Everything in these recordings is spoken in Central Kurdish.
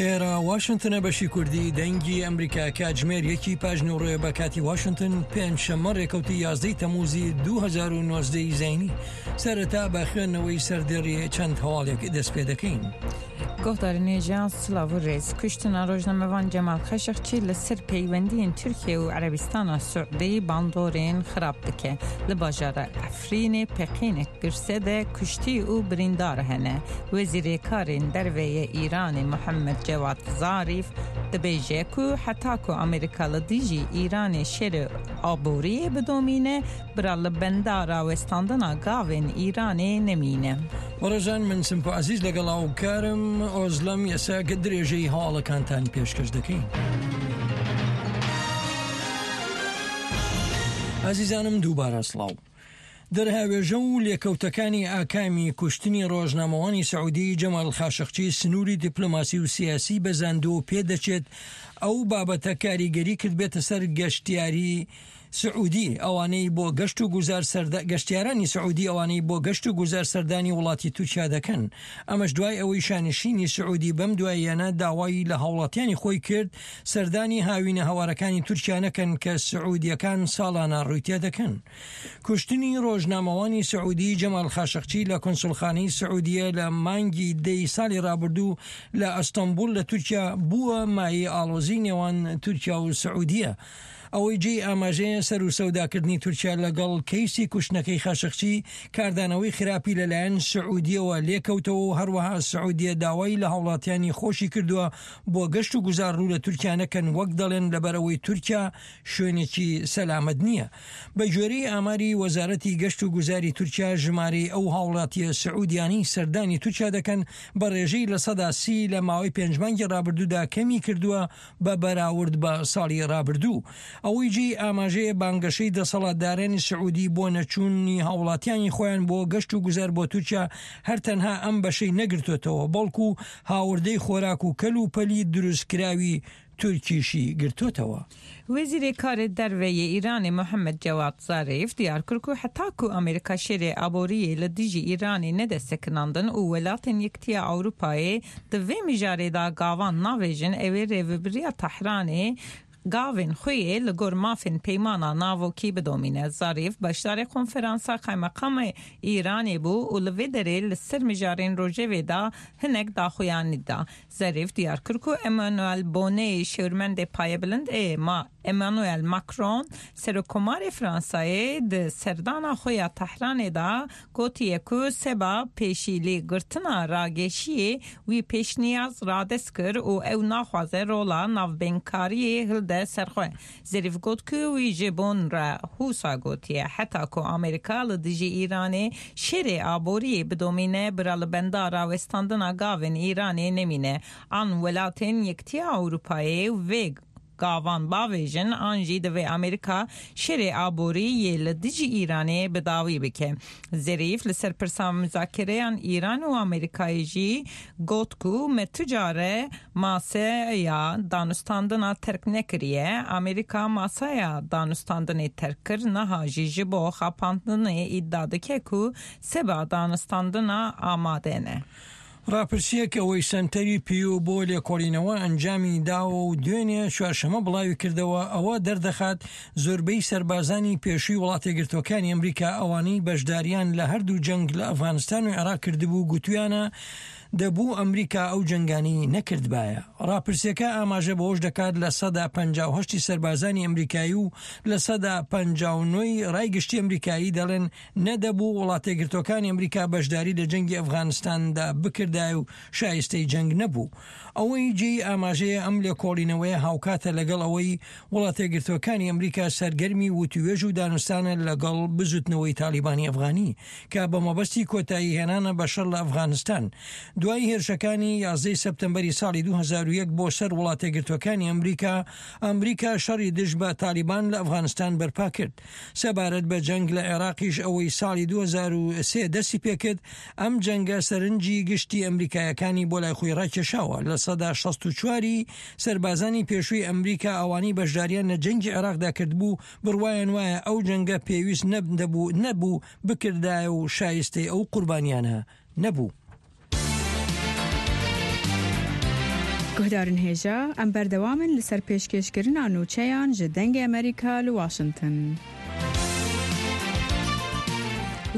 ئێرە واشنتنە بەشی کوردی دەنگی ئەمریکا کاتژمێر یەکی پاژنەوەڕێ بە کاتی واشنتن پێنجشەممە ڕێکەوتی یازدەی تەموزی 2019 زینی سەرەتا بە خوێندنەوەی سەردێڕی چەند هەواڵێک دەست پێ دەکەین. گۆهدارên hêja silav û rêz. Kuştina rojnamevan Cemal Xeşiqçî li ser peywendiyên Tirkiye û Erebistana Suudî bandorên xirab dike. Li bajara Efrînê peqînek girse de kuştî û birîndar hene. Wezîrê Karên Derve yê Îranê Muhammed Cewad Zarîf dibêje ku heta ku Amerîka li dijî Îranê şerê aboriyê bidomîne, Bira li benda rawestandina gavên Îranê nemîne. بەڕێزان من سمکۆ عەزیز لەگەڵ هاوکارم ئۆزلەم یەساک درێژەی هەواڵەکانتان پێشکەش دەکەین. ئازیزانم دووبارە سڵاو. دەرهاوێژە و لێکەوتەکانی ئاکامی کوشتنی ڕۆژنامەوانی سعودی جەمال خاشقچی سنووری دیپلۆماسی و سیاسی بەزاندووە و پێدەچێت ئەو بابەتە کاریگەری کردبێتە سەر گەشتیاری سعودی ئەوانەی بۆ گەشت و گوزار سەردا گەشتیارانی سعودی ئەوانەی بۆ گەشت و گوزار سەردانی وڵاتی تورکیا دەکەن ئەمەش دوای ئەوەی شانشینی سعودی بەم دواییانە داوای لە هاوڵاتیانی خۆی کرد سەردانی هاوینە هەوارەکانی تورکیا نەکەن کە سعودیەکان ساڵانە ڕووی تێدەکەن. کوشتنی ڕۆژنامەوانی سعودی جەمال خاشقچی لە کونسوڵخانەی سعودیە لە مانگی دەی ساڵی ڕابردوو لە ئەستەنبوڵ لە تورکیا بووە مایەی ئاڵۆزی نێوان تورکیا و سعودیە. ئەوەی جێی ئاماژەیە سەروسەوداکردنی تورکیا لەگەڵ کەیسی کوشتنەکەی خاشقچی کاردانەوەی خراپی لەلایەن سعودیەوە لێکەوتەوە و هەروەها سعودیە داوای لە هاوڵاتیانی خۆشی کردووە بۆ گەشت و گوزار ڕوو لە تورکیا نەکەن وەک دەڵێن لەبەرئەوەی تورکیا شوێنێکی سەلامەت نییە. بەگوێرەی ئاماری وەزارەتی گەشت و گوزاری تورکیا ژمارەی ئەو هاوڵاتیە سعودیانەی سەردانی تورکیا دەکەن بە ڕێژەی 30% لە ماوەی پێنج مانگی ڕابردوودا کەمی کردووە بە بەراورد بە ساڵی ڕابردوو. ئەوەی جێی ئاماژەیە بانگەشەی دەسەڵاتدارانی سعودی بۆ نەچوونی هاوڵاتیانی خۆیان بۆ گەشت و گوزار بۆ تورکیا هەر تەنها ئەم بەشەی نەگرتۆتەوە بەڵکو هاوردەی خۆراک و کەل و پەلی دروستکراوی تورکیشی گرتۆتەوە. Wezîrê Karê Derve yê Îranê Muhammed Cewad Zarîf diyar kir ku heta ku Amerîka şerê aboriyê li dijî Îranê nede sekinandin û welatên Yekitiya Ewropayê di vê mijarê de gavan navêjin ew ê rêvebiriya Tehranê gavên xwe yê li gor mafên peymana navokî bidomîne. Zarîf beşdarê konferansa Qaymeqamê Îranê bû û li vê derê li ser mijarên rojevê de hinek daxuyanî da. Zerîf diyar kir ku Emmanuel Boneyê şêwirmendê payebilind ê ma Emmanuel Macron Serokkomarê Fransayê di serdana xwe ya Tehranê de gotiye ku seba pêşîlêgirtina rageşiyê wî pêşniyaz radest kir û ew naxwaze rola navbênkariyê hilde ser xwe. Zerîf got ku wî ji Bon re wisa gotiye, Heta ku Amerîka li dijî Îranê şerê aboriyê bidomîne, bira li benda rawestandina gavên Îranê nemîne. An welatên Yekitiya Ewropayê vê gavan bavêjin an jî divê Amerîka şerê aborî yê li dijî Îranê bi dawî bike. Zerîf li ser pirsa muzakereyan Îran û Amerîkayê jî got ku me tu care maseya danûstandina terk nekiriye, Amerîka masaya danûstandinê terk kir, niha jî ji bo xapandinê îdia dike ku seba danûstandina amade ne. ڕاپرسییەک ئەوەی سەنتەری پیو بۆ لێکۆڵینەوە ئەنجامی داوە و دوێنێ چوارشەمە بڵاوی کردەوە ئەوە دەردەخات زۆربەی سەربازانی پێشووی وڵاتەیەکگرتووەکانی ئەمریکا ئەوانەی بەشداریان لە هەردوو جەنگ لە ئەفغانستان و عێراق کردبوو گوتویانە دەبوو ئەمریکا ئەو جەنگانەی نەکردبایە. ڕاپرسیەکە ئاماژە بەوەش دەکات 58% ی سەربازانی ئەمریکایی و 59% ی ڕای گشتی ئەمریکایی دەڵێن نەدەبوو وڵاتەیەکگرتووەکانی ئەمریکا بەشداری لە جەنگی ئەفغانستاندا بکردایە و شایستەی جەنگ نەبوو. ئەوەی جێی ئاماژەیە ئەم لێکۆڵینەوەیە هاوکاتە لەگەڵ ئەوەی وڵاتەیەکگرتووەکانی ئەمریکا سەرگەرمی وتووێژ و دانوستانە لەگەڵ بزوتنەوەی تاڵیبانی ئەفغانی کە بە مەبەستی کۆتایی هێنانە بە شەڕ لە ئەفغانستان دوای هێرشەکانی یازدەی سەپتەمبەری ساڵی 2001 بۆ سەر وڵاتەیەکگرتووەکانی ئەمریکا ئەمریکا شەڕی دژ بە تاڵیبان لە ئەفغانستان بەرپا کرد. سەبارەت بە جەنگ لە عێراقیش ئەوەی ساڵی 2003 دەستی پێکرد، ئەم جەنگە سەرنجی گشتی ئەمریکایەکانی بۆ لای خۆی ڕاکێشاوە، 64% ی سەربازانی پێشووی ئەمریکا ئەوانەی بەشداریان لە جەنگی عێراقدا کردبوو بڕوایان وایە ئەو جەنگە پێویست نەبوو بکردایە و شایستەی ئەو قوربانیانە نەبوو. Guhdarên hêja, em berdewam in li ser pêşkêşkirina nûçeyan ji Dengê Amerîka li Washington.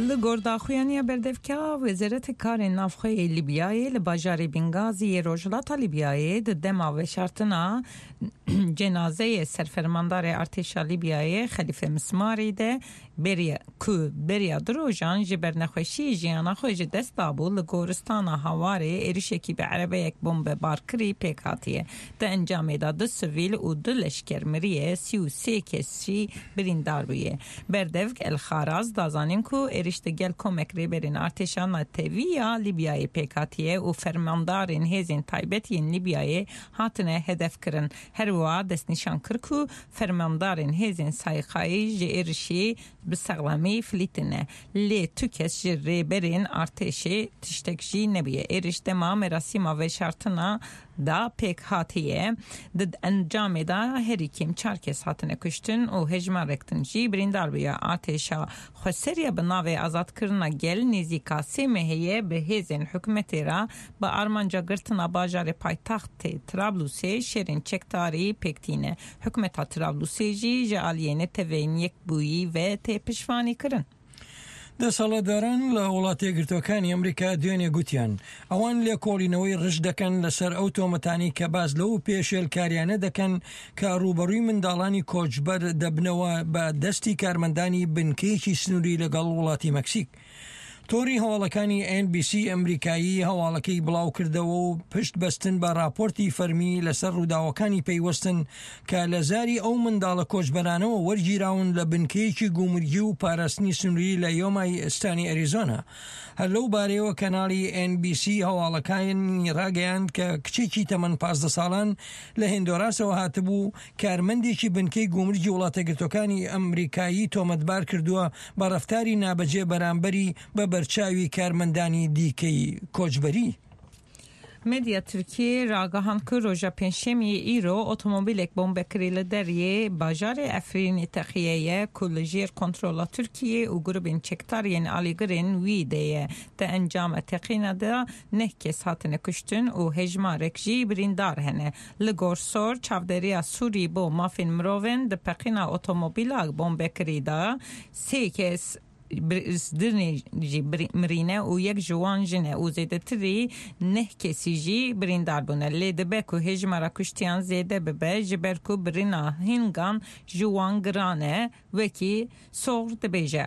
Li gor daxuyaniya berdevka Wezaretê Karên Navxwe yê Lîbyayê li bajarê Bîngazî yê Rojhilata Lîbyayê di dema veşartina cenazeyê Serfermandarê Artêşa Lîbyayê Xelîfe Mismarî de beriya ku beriya du rojan ji ber nexweşiyê jiyana xwe ji dest dabû li goristana Hawarê êrişekî bi erebeyek bombebarkirî pêk hatiye. Di encamê de du sivîl û du leşker miriye, 33 kes jî birîndar bûye. Berdevk El Xaraz da zanîn ku êriş di gel komek rêberên artêşa netewî ya Lîbyayê pêk hatiye û fermandarên hêzên taybet yên Lîbyayê hatine hedefkirin. Her wiha destnîşan kir ku fermandarên hêzên Sayîqayî ji êrişê bi sexlamî filîtine lê tu kes ji rêberên artêşê tiştek jî nebûye. Êriş dema merasîma veşartina da pêk hatiye. Di encamê de herî kêm çar kes hatine kuştin û hejmarek din jî birîndar bûye. Artêşa Xweseriya bi navê Azadkirina Gel nêzîka sê mehê ye bi hêzên hikûmetê re bi armanca girtina bajarê paytextê Trablusê şerên çekdarî pêk tîne. Hikûmeta Trablusê jî ji aliyê Neteweyên Yekbûyî ve tê piştvanîkirin. دەسەڵاتداران لە وڵاتە یەکگرتووەکانی ئەمریکا دوێنێ گوتیان، ئەوان لێکۆڵینەوەی ڕژد دەکەن لەسەر ئەو تۆمەتانەی کە باس لەو پێشێلکاریانە دەکەن کە ڕووبەڕووی منداڵانی کۆچبەر دەبنەوە بە دەستی کارمەندانی بنکەیەکی سنووری لەگەڵ وڵاتی مەکسیک. تۆڕی هەواڵەکانی ئێن بی سی ئەمریکایی هەواڵەکەی بڵاوکردەوە و پشت بەستن بە ڕاپۆرتی فەرمی لەسەر ڕووداوەکانی پەیوەستن کە لە زاری ئەو منداڵە کۆچبەرانەوە وەرگیراون لە بنکەیەکی گومرگی و پاراستنی سنووری لە یۆمای ستانی ئەریزۆنا. هەر لەو بارەیەوە کەناڵی ئێن بی سی هەواڵەکانی ڕاگەیاند کە کچێکی تەمەن 15 ساڵان لە هێندۆراسەوە هاتبوو کارمەندێکی بنکەی گومرگی وڵاتەگرتوەکانی ئەمریکایی تۆمەتبار کردووە بە ڕەفتاری نابەجێ بەرامبەری بە بەرچاوی کارمەندانی دیکەی کۆچبەری. Medya Tirkiyê ragihand ku roja Pêncşemiyê îro otomobîlek bombekirî li deriyê bajarê Efrînê teqiye ye ku li jêr kontrola Tirkiyê û grûbên çekdar yên alîgirên wî de ye. Di encama teqîna de neh kes hatine kuştin û hejmarek jî birîndar hene. Li gor Sor, çavdêriya Sûrî bo mafên mirovên di peqîna otomobîla bombekirî de sê kes dinê jî mirîne û yek ji wan jin e û zêdetirî neh kesî jî birîndar bûne. Lê dibe ku hejmara kuştiyan zêde bibe ji ber ku birîna hingan ji wan giran e wekî Sor dibêje.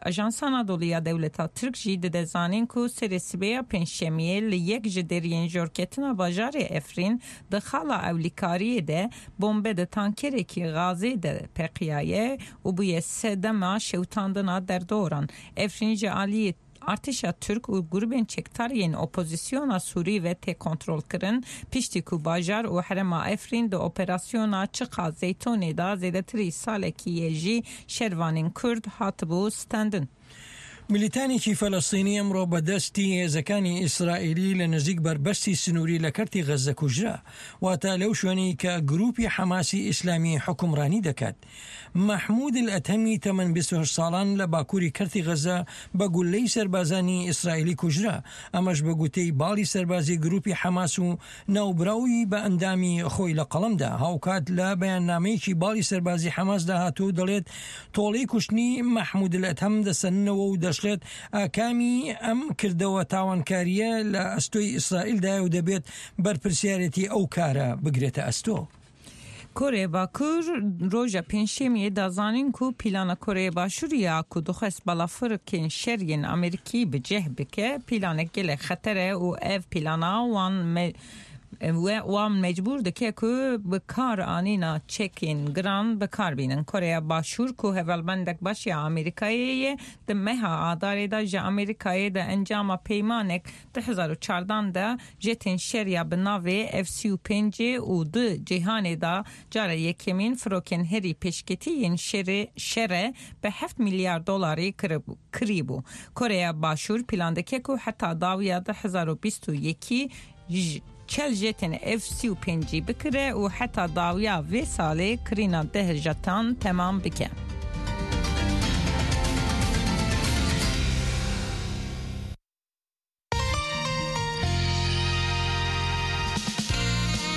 Ajansa Anadolu ya dewleta Tirk jî dide zanîn ku serê sibêya Pêncşemiyê li yek ji deriyên jorketina bajarê Efrîn di xala ewlîkariyê de bombe di tankerekî gazê de peqiyaye û bûye sedema şewitandina derdoran. Efrîn ji aliyê artêşa Tirk û grûbên çekdar yên opozisyona Sûrî ve tê kontrolkirin, piştî ku bajar û herêma Efrîn di operasyona Çiqa Zeytonê de zêdetirî salekî ye jî şervanên Kurd hatibû stendin. میلیتانێکی فەلەستینی ئەمڕۆ بە دەستی هێزەکانی ئیسرائیلی لە نزیک بەربەستی سنووری لە کەرتی غەززە کوژرا، واتە لەو شوێنەی کە گرووپی حەماسی ئیسلامی حوکمڕانی دەکات. مەحموود ئەلئەتەمی تەمەن 28 ساڵان لە باکووری کەرتی غەززە بە گوللەی سەربازانی ئیسرائیلی کوژرا، ئەمەش بە گوتەی باڵی سەربازی گرووپی حەماس و ناوبراوی بە ئەندامی خۆی لە قەڵەمدا. هاوکات لە بەیاننامەیەکی باڵی سەربازی حەماسدا هاتووە و دەڵێت، تۆڵەی کوشتنی مەحمود ئەلئەدهەم دەسەننەوە و دەشڵێت، ئاکامی ئەم کردەوە تاوانکارییە لە ئەستۆی ئیسرائیلدایە و دەبێت بەرپرسیارێتی ئەو کارە بگرێتە ئەستۆ. Koreya Bakur roja Pêncşemiyê da zanîn ku pîlana Koreya Başûr ya ku dixwest balafirkên şer yên Amerîkî bi cih bike pîlanek gelek xeter e û ev pîlana wan wan mecbûr dike ku bi kar anîna çekên giran bi kar bînin. Koreya Başûr ku hevalbendek baş ya Amerîkayê ye di meha Adarê de ji Amerîkayê di encama peymanek 2014 de jetên şer ya bi navê F-35 û di cîhanê de cara yekemîn firokên herî pêşketî yên şerê şere bi heft milyar dolarî kirîbû. Koreya Başûr plan dike ku heta dawiya 2021 çel jetên F-35 bikire û heta dawiya vê salê kirîna deh jetan temam bike.